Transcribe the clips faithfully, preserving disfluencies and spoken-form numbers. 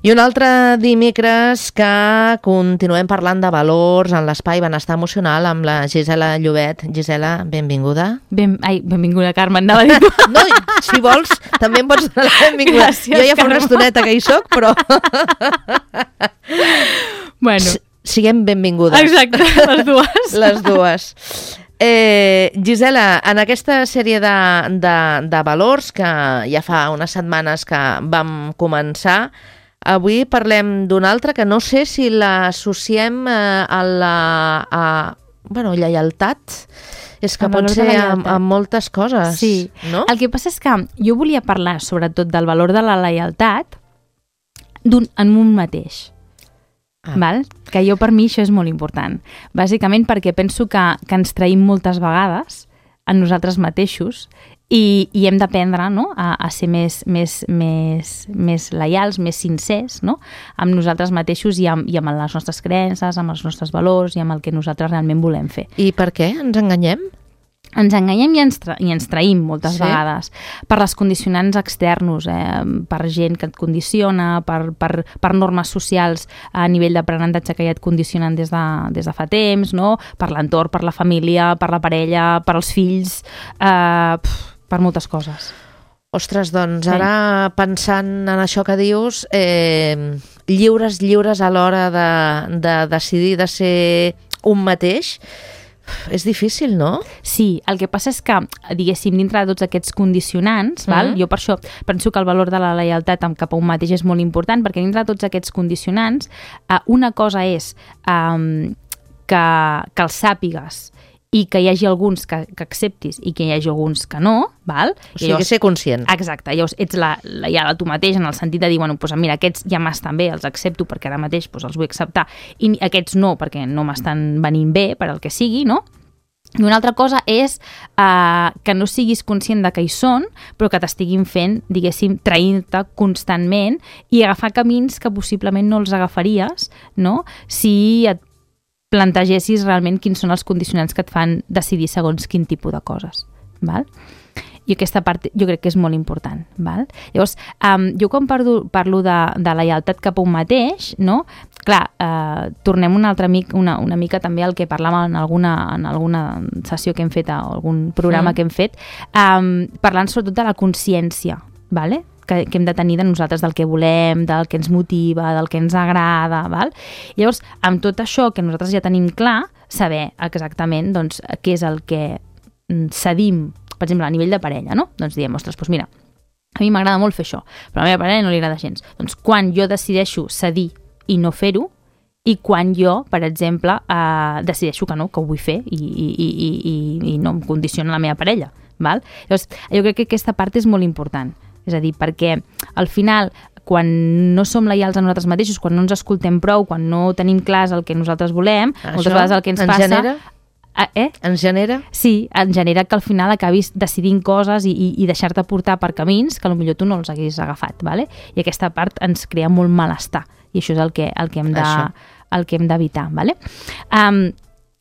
I un altre dimecres que continuem parlant de valors en l'espai benestar emocional amb la Gisela Llobet. Gisela, benvinguda. Ben, ai, benvinguda, Carme, anava a dir tu. No, si vols, també em pots donar la benvinguda. Gràcies, jo ja fa Carme. una estoneta que hi soc, però... Bueno. S siguem benvingudes. Exacte, les dues. Les dues. Eh, Gisela, en aquesta sèrie de, de, de valors que ja fa unes setmanes que vam començar, avui parlem d'un altre que no sé si l'associem eh, a la a, bueno, lleialtat. És que El pot valor de ser la amb, lleialtat. amb moltes coses, Sí. no? El que passa és que jo volia parlar sobretot del valor de la lleialtat d'un, en un mateix. Ah. Val? Que jo, per mi, això és molt important. Bàsicament perquè penso que, que ens traïm moltes vegades en nosaltres mateixos i, i hem d'aprendre, no? a, a ser més, més, més, més lleials, més sincers, no? Amb nosaltres mateixos i amb, i amb les nostres creences, amb els nostres valors i amb el que nosaltres realment volem fer. I per què? Ens enganyem? Ens enganyem i ens, tra i ens traïm moltes Sí? vegades per les condicionants externos, eh? Per gent que et condiciona, per, per, per normes socials a nivell d'aprenentatge que ja et condicionen des de, des de fa temps, no? Per l'entorn, per la família, per la parella, per als fills, eh, pf, per moltes coses. Ostres, doncs Sí. ara pensant en això que dius, eh, lliures, lliures a l'hora de, de decidir de ser un mateix, és difícil, no? Sí, el que passa és que, diguéssim, dintre de tots aquests condicionants, mm. val? Jo per això penso que el valor de la lleialtat cap a un mateix és molt important, perquè dintre de tots aquests condicionants, eh, una cosa és eh, que, que els sàpigues i que hi hagi alguns que, que acceptis i que hi hagi alguns que no, val? O sigui, que ser conscient. Exacte, llavors ets la, la, ja tu mateix en el sentit de dir, bueno, doncs mira, aquests ja m'estan bé, els accepto perquè ara mateix doncs, els vull acceptar, i aquests no, perquè no m'estan venint bé per al que sigui, no? I una altra cosa és uh, que no siguis conscient de que hi són, però que t'estiguin fent, diguéssim, traint-te constantment i agafar camins que possiblement no els agafaries, no? Si et plantegessis realment quins són els condicionants que et fan decidir segons quin tipus de coses, val? I aquesta part jo crec que és molt important, val? Llavors, um, jo quan parlo, parlo de, de la lleialtat cap a un mateix, no? Clar, eh, tornem una altra mica, una, una mica també al que parlàvem en alguna, en alguna sessió que hem fet, o algun programa mm. que hem fet, um, parlant sobretot de la consciència, vale? Que, que hem de tenir de nosaltres, del que volem, del que ens motiva, del que ens agrada, val? Llavors, amb tot això que nosaltres ja tenim clar, saber exactament doncs, què és el que cedim, per exemple, a nivell de parella, no? Doncs diem, ostres, doncs mira, a mi m'agrada molt fer això, però a la meva parella no li agrada gens. Doncs quan jo decideixo cedir i no fer-ho, i quan jo, per exemple, eh, decideixo que no, que ho vull fer i, i, i, i, i no em condiciona la meva parella, val? Llavors, jo crec que aquesta part és molt important. És a dir, perquè al final, quan no som lleials a nosaltres mateixos, quan no ens escoltem prou, quan no tenim clars el que nosaltres volem, això moltes vegades el que ens, ens passa... Genera? Eh? Ens genera? Sí, en genera que al final acabis decidint coses i, i, i deixar-te portar per camins que potser tu no els haguis agafat, ¿vale? I aquesta part ens crea molt malestar i això és el que, el que hem de, el que hem d'evitar, ¿vale? Um,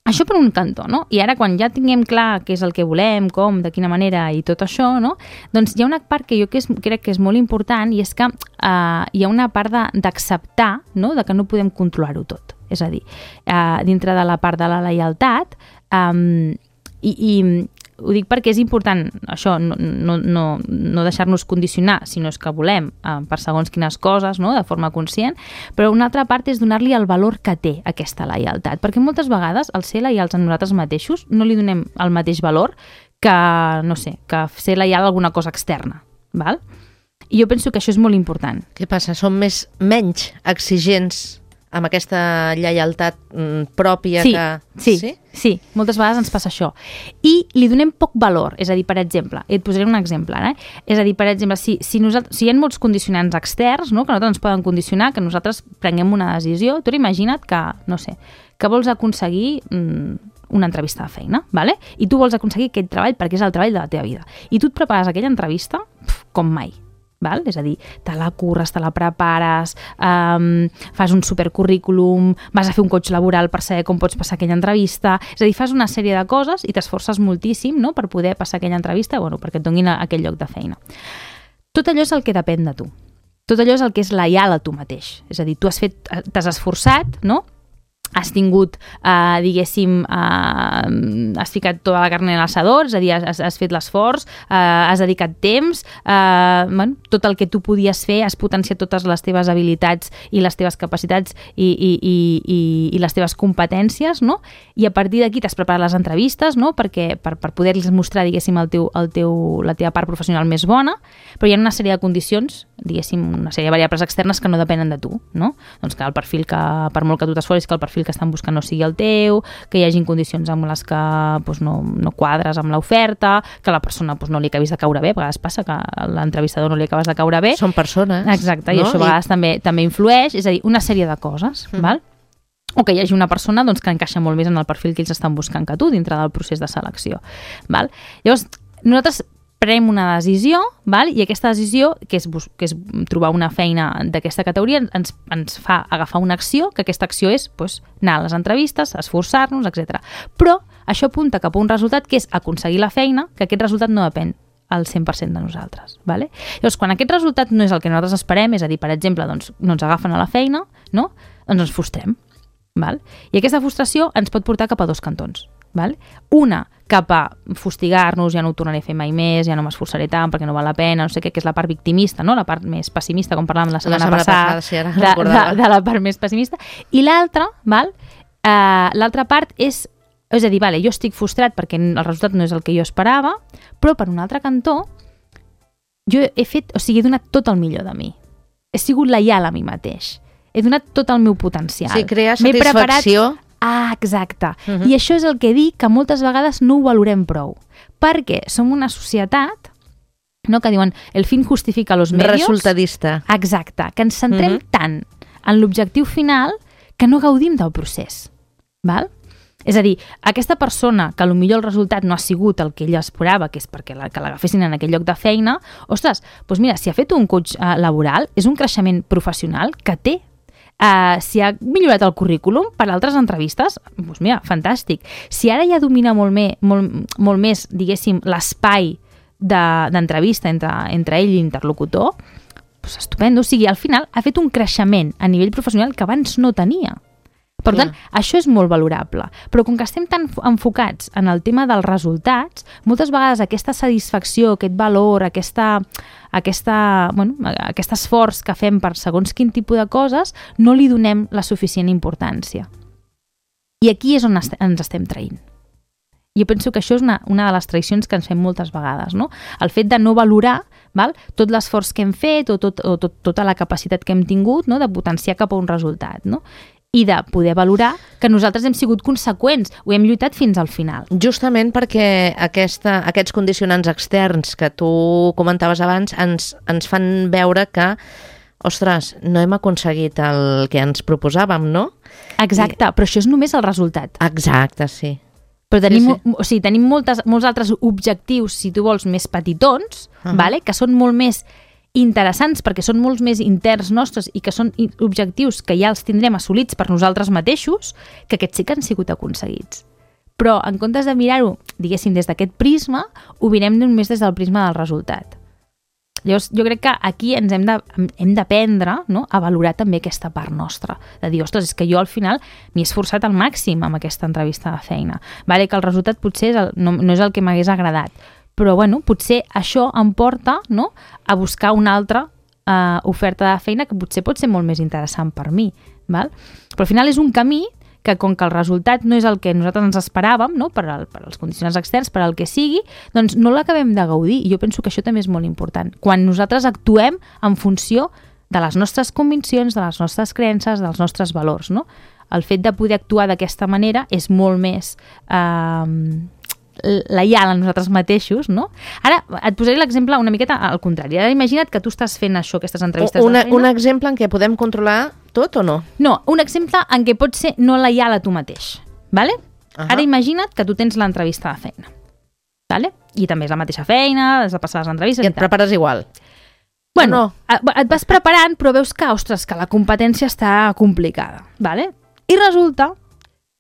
Això per un cantó, no? I ara quan ja tinguem clar què és el que volem, com, de quina manera i tot això, no? Doncs hi ha una part que jo que és, crec que és molt important i és que uh, hi ha una part d'acceptar, no?, de que no podem controlar-ho tot. És a dir, uh, dintre de la part de la lleialtat, um, i, i ho dic perquè és important això, no, no, no, no deixar-nos condicionar, sinó és que volem eh, per segons quines coses, no?, de forma conscient, però una altra part és donar-li el valor que té aquesta lleialtat, perquè moltes vegades al ser lleials a nosaltres mateixos no li donem el mateix valor que, no sé, que ser lleial a alguna cosa externa, val? I jo penso que això és molt important. Què passa? Som més, menys exigents amb aquesta lleialtat mm, pròpia sí, que... Sí, sí, sí, moltes vegades ens passa això. I li donem poc valor, és a dir, per exemple, et posaré un exemple, eh? És a dir, per exemple, si, si, nosaltres, si hi ha molts condicionants externs, no?, que a nosaltres ens poden condicionar, que nosaltres prenguem una decisió, tu imagina't que, no sé, que vols aconseguir mm, una entrevista de feina, ¿vale? I tu vols aconseguir aquest treball perquè és el treball de la teva vida. I tu et prepares aquella entrevista pf, com mai. Val? És a dir, te la curres, te la prepares, um, fas un supercurrículum, vas a fer un coach laboral per saber com pots passar aquella entrevista, és a dir, fas una sèrie de coses i t'esforces moltíssim, no?, per poder passar aquella entrevista, bueno, perquè et donin aquell lloc de feina. Tot allò és el que depèn de tu. Tot allò és el que és lleial a tu mateix. És a dir, tu has fet, t'has esforçat, no? Has tingut, eh, diguéssim, eh, has ficat tota la carn en l'assador, és a dir, has, has fet l'esforç, eh, has dedicat temps, eh, bueno, tot el que tu podies fer, has potenciat totes les teves habilitats i les teves capacitats i, i, i, i, i les teves competències, no? I a partir d'aquí t'has preparat les entrevistes, no? Perquè, per, per poder-los mostrar, diguéssim, el teu, el teu, la teva part professional més bona, però hi ha una sèrie de condicions, diguéssim, una sèrie de variables externes que no depenen de tu, no? Doncs que el perfil que, per molt que tu t'esforcis, que el perfil que estan buscant no sigui el teu, que hi hagi condicions amb les que doncs, no, no quadres amb l'oferta, que la persona doncs, no li acabis de caure bé, a vegades passa que a l'entrevistador no li acabes de caure bé. Són persones. Exacte, no? I això a vegades I... també, també influeix, és a dir, una sèrie de coses, mm. val? O que hi hagi una persona doncs, que encaixa molt més en el perfil que ells estan buscant que tu dintre del procés de selecció. Val? Llavors, nosaltres prenem una decisió, val? I aquesta decisió, que és, que és trobar una feina d'aquesta categoria, ens, ens fa agafar una acció, que aquesta acció és doncs, anar a les entrevistes, esforçar-nos, etcètera. Però això apunta cap a un resultat que és aconseguir la feina, que aquest resultat no depèn al cent per cent de nosaltres. Vale? Llavors, quan aquest resultat no és el que nosaltres esperem, és a dir, per exemple, doncs, no ens agafen a la feina, no? Doncs ens frustrem. Val? I aquesta frustració ens pot portar cap a dos cantons. Val? Una, cap a fustigar-nos, ja no ho tornaré a fer mai més, ja no m'esforçaré tant perquè no val la pena, no sé què, que és la part victimista, no? La part més pessimista, com parlàvem la setmana, la setmana passada, passada sí, ara de, de, de la part més pessimista. I l'altra, val? Uh, l'altra part és, és a dir, vale, jo estic frustrat perquè el resultat no és el que jo esperava, però per un altre cantó, jo he fet, o sigui, he donat tot el millor de mi. He sigut lleial a mi mateix. He donat tot el meu potencial. Sí, crear satisfacció. Preparat... Ah, exacte. Uh-huh. I això és el que dic que moltes vegades no ho valorem prou. Perquè som una societat, no, que diuen el fin justifica los medios. Resultadista. Exacte. Que ens centrem uh-huh. tant en l'objectiu final que no gaudim del procés. Val? És a dir, aquesta persona que potser el resultat no ha sigut el que ella esperava, que és perquè la, que l'agafessin en aquell lloc de feina, ostres, doncs mira, si ha fet un coach eh, laboral, és un creixement professional que té. Uh, si ha millorat el currículum per altres entrevistes, doncs mira, fantàstic. Si ara ja domina molt, me, molt, molt més, diguéssim, l'espai de, d'entrevista entre, entre ell i l'interlocutor, doncs estupendo. O sigui, al final ha fet un creixement a nivell professional que abans no tenia. Per tant, yeah. això és molt valorable. Però com que estem tan enfocats en el tema dels resultats, moltes vegades aquesta satisfacció, aquest valor, aquesta, aquesta, bueno, aquest esforç que fem per segons quin tipus de coses, no li donem la suficient importància. I aquí és on est- ens estem traint. Jo penso que això és una, una de les traïcions que ens fem moltes vegades, no? El fet de no valorar, val, tot l'esforç que hem fet o, tot, o tot, tota la capacitat que hem tingut, no? De potenciar cap a un resultat, no? I de poder valorar que nosaltres hem sigut conseqüents, ho hem lluitat fins al final. Justament perquè aquesta, aquests condicionants externs que tu comentaves abans ens, ens fan veure que, ostres, no hem aconseguit el que ens proposàvem, no? Exacte, I... però això és només el resultat. Exacte, sí. Però tenim, sí, sí. O sigui, tenim moltes, molts altres objectius, si tu vols, més petitons, uh-huh. vale? Que són molt més interessants perquè són molts més interns nostres i que són objectius que ja els tindrem assolits per nosaltres mateixos, que aquests sí que han sigut aconseguits. Però en comptes de mirar-ho, diguéssim, des d'aquest prisma, ho mirem només des del prisma del resultat. Llavors, jo crec que aquí ens hem de, hem d'aprendre, no?, a valorar també aquesta part nostra, de dir, ostres, és que jo al final m'hi he esforçat al màxim amb aquesta entrevista de feina. Vale, que el resultat potser és el, no, no és el que m'hagués agradat, però bueno, potser això em porta, no?, a buscar una altra uh, oferta de feina que potser pot ser molt més interessant per mi. Val? Però al final és un camí que, com que el resultat no és el que nosaltres ens esperàvem, no?, per, al, per als condicionants externs, per al que sigui, doncs no l'acabem de gaudir. I jo penso que això també és molt important. Quan nosaltres actuem en funció de les nostres conviccions, de les nostres creences, dels nostres valors, no? El fet de poder actuar d'aquesta manera és molt més... Eh, lleial a nosaltres mateixos, no? Ara et posaré l'exemple una miqueta al contrari. Ara imagina't que tu estàs fent això, aquestes entrevistes una, de feina. Un exemple en què podem controlar tot o no? No, un exemple en què pots ser no lleial a tu mateix, vale? Uh-huh. Ara imagina't que tu tens l'entrevista de feina, vale? I també és la mateixa feina, has de passar les entrevistes i et i prepares igual. Bueno, no. Et vas preparant, però veus que, ostres, que la competència està complicada, vale? I resulta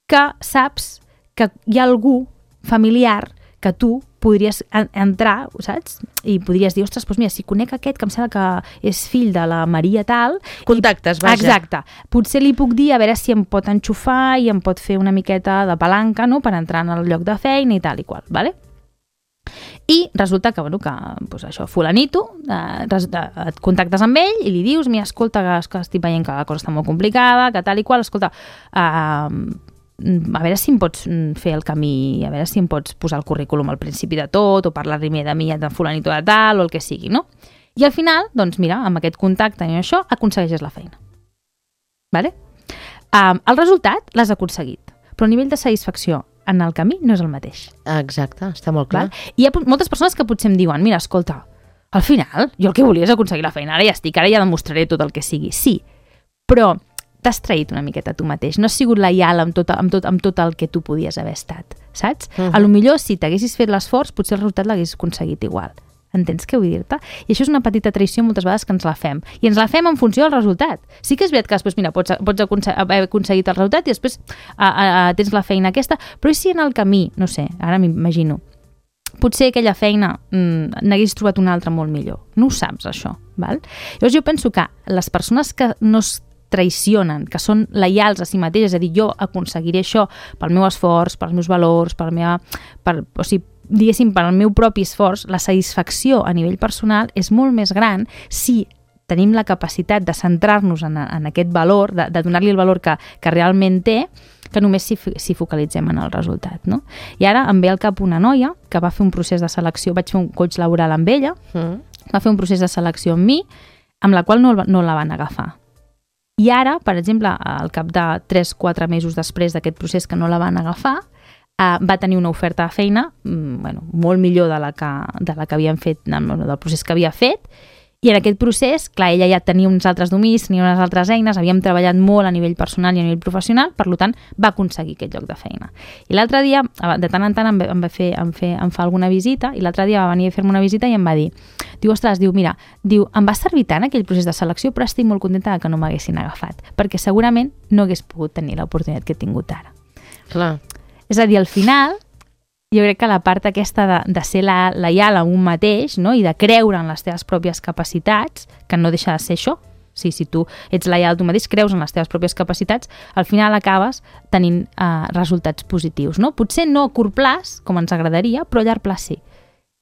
que saps que hi ha algú familiar que tu podries en entrar, saps? I podries dir, ostres, doncs mira, si conec aquest que em sembla que és fill de la Maria tal... Contactes, vaja. Exacte. Potser li puc dir a veure si em pot enxufar i em pot fer una miqueta de palanca, no?, per entrar en el lloc de feina i tal i qual, vale? I resulta que, bueno, que doncs això, fulanito, eh, et contactes amb ell i li dius, mira, escolta, que, que estic veient que la cosa està molt complicada, que tal i qual, escolta, eh, a veure si em pots fer el camí, a veure si em pots posar el currículum al principi de tot, o parlar-li de mi, de fulanito de tal, o el que sigui, no? I al final, doncs mira, amb aquest contacte i això, aconsegueixes la feina. Vale? Um, el resultat l'has aconseguit, però a nivell de satisfacció en el camí no és el mateix. Exacte, està molt clar. Val? I hi ha moltes persones que potser em diuen, mira, escolta, al final, jo el que volia és aconseguir la feina, ara ja estic, ara ja demostraré tot el que sigui. Sí, però t'has traït una miqueta tu mateix, no has sigut lleial amb tot, amb tot, amb tot el que tu podies haver estat, saps? Uh-huh. A lo millor, si t'haguessis fet l'esforç, potser el resultat l'haguessis aconseguit igual. Entens què vull dir-te? I això és una petita traïció moltes vegades que ens la fem. I ens la fem en funció del resultat. Sí que és veritat que després, mira, pots, pots haver aconseguit el resultat i després a, a, a, tens la feina aquesta, però i si en el camí, no sé, ara m'imagino, potser aquella feina mmm, n'hagués trobat una altra molt millor. No ho saps, això. Val? Llavors jo penso que les persones que no es traicionen, que són lleials a si mateixes, és a dir, jo aconseguiré això pel meu esforç, pels meus valors, per la meva, per, o sigui, diguéssim, per al meu propi esforç, la satisfacció a nivell personal és molt més gran si tenim la capacitat de centrar-nos en, en aquest valor, de, de donar-li el valor que, que realment té, que només si, si focalitzem en el resultat, no? I ara em ve al cap una noia que va fer un procés de selecció, vaig fer un coach laboral amb ella, mm. va fer un procés de selecció amb mi, amb la qual no, no la van agafar. I ara, per exemple, al cap de tres quatre mesos després d'aquest procés que no la van agafar, Uh, va tenir una oferta de feina mm, bueno, molt millor de la que, de la que havien fet, del procés que havia fet, i en aquest procés, clar, ella ja tenia uns altres dominis, tenia unes altres eines, havíem treballat molt a nivell personal i a nivell professional, per tant, va aconseguir aquest lloc de feina. I l'altre dia, de tant en tant em, em, va fer, em, fer, em fa alguna visita, i l'altre dia va venir a fer-me una visita i em va dir, diu, ostres, diu, mira, diu, em va servir tant aquell procés de selecció, però estic molt contenta que no m'haguessin agafat, perquè segurament no hagués pogut tenir l'oportunitat que he tingut ara. Clar. És a dir, al final, jo crec que la part aquesta de, de ser la, lleial amb un mateix, no?, i de creure en les teves pròpies capacitats, que no deixa de ser això, si, si tu ets lleial a tu mateix, creus en les teves pròpies capacitats, al final acabes tenint uh, resultats positius, no? Potser no a curt plaç, com ens agradaria, però a llarg plaç sí.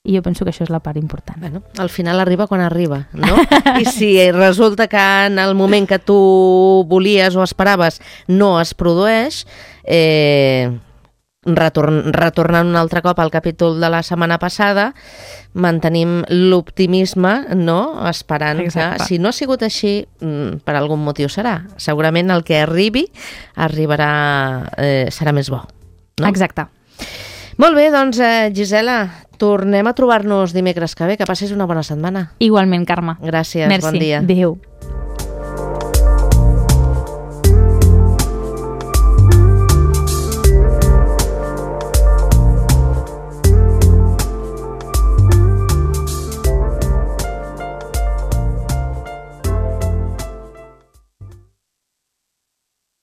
I jo penso que això és la part important. Bueno, al final arriba quan arriba, no? I si resulta que en el moment que tu volies o esperaves no es produeix, eh... Retorn, retornant un altre cop al capítol de la setmana passada, mantenim l'optimisme, no?, esperant Exacte. Que si no ha sigut així, per algun motiu serà. Segurament el que arribi arribarà, eh, serà més bo, no? Exacte. Molt bé, doncs, eh, Gisela, tornem a trobar-nos dimecres que ve. Que passis una bona setmana. Igualment, Carme. Gràcies, Merci. Bon dia. Adéu.